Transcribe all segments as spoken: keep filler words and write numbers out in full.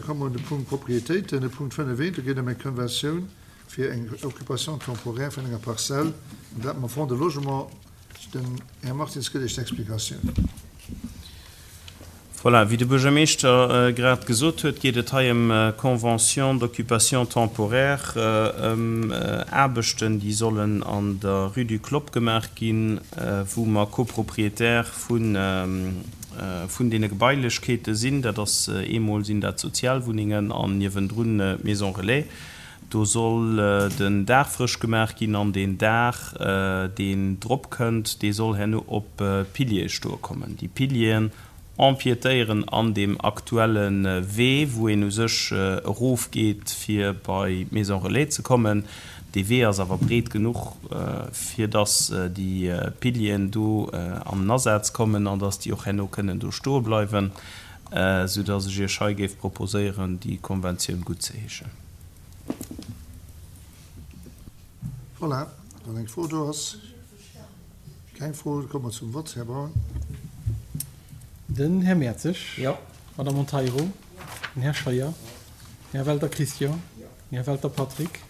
komme mer un de Punkt Propriétéiten, de Punkt fënnef eent. Do geet ëm eng Konventioun fir eng Occupation temporaire vun enger Parzell, an dat mam Fonds de Logement. Den Här Martins gëtt Iech d'Explikatioun. Voilà, wéi de Buergermeeschter grad gesot huet, geet et hei ëm Convention d'occupation temporaire, ëm Aarbechten, déi sollen an der Rue du Clopp gemaach ginn, wou mer Copropriétaire vun vun deene Gebailechkeete sinn. Dat ass eemol sinn dat Sozialwunnengen an niewendrun d'Maison relais. Do soll den Daach frësch gemaach ginn an deen Daach, deen drop kënnt, dee soll herno op Piliere stoe kommen. Déi Pilieren empiétéieren an deem aktuelle Wee, wou een u sech erofgeet, fir bei d'Maison relais ze kommen. Dee Wee ass awer breet genuch, fir dass déi Pilieren do an den Asaz kommen an dass déi och herno kënnen do stoe bleiwen, soudass ech Iech hei géif proposéieren, déi Konventioun guttzeheeschen. Voilà, wann eng Fro do ass. Keng Fro, da komme mer zum Vott. Här Braun. Den Här Mertzig. Jo. D'Madame Monteiro. Den Här Scheuer. Den Här Welter Christian. Den Här Welter Patrick.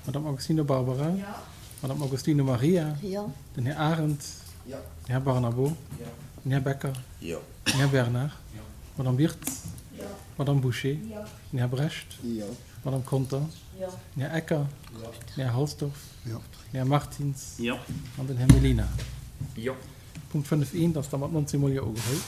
D'Madame Agostino Barbara. D'Madame Agostino Maria. Den Här Arendt. Den Här Barnabo. Den Här Becker. Den Här Bernard. D'Madame Wirtz. D'Madame Bouché. Den Här Brecht. D'Madame Conter. Den Här Ecker. Den Här Halsdorf. Den Här Martins. An den Här Mellina. Punkt fënnef eent ass da mat nonzéng mol Jo ugeholl.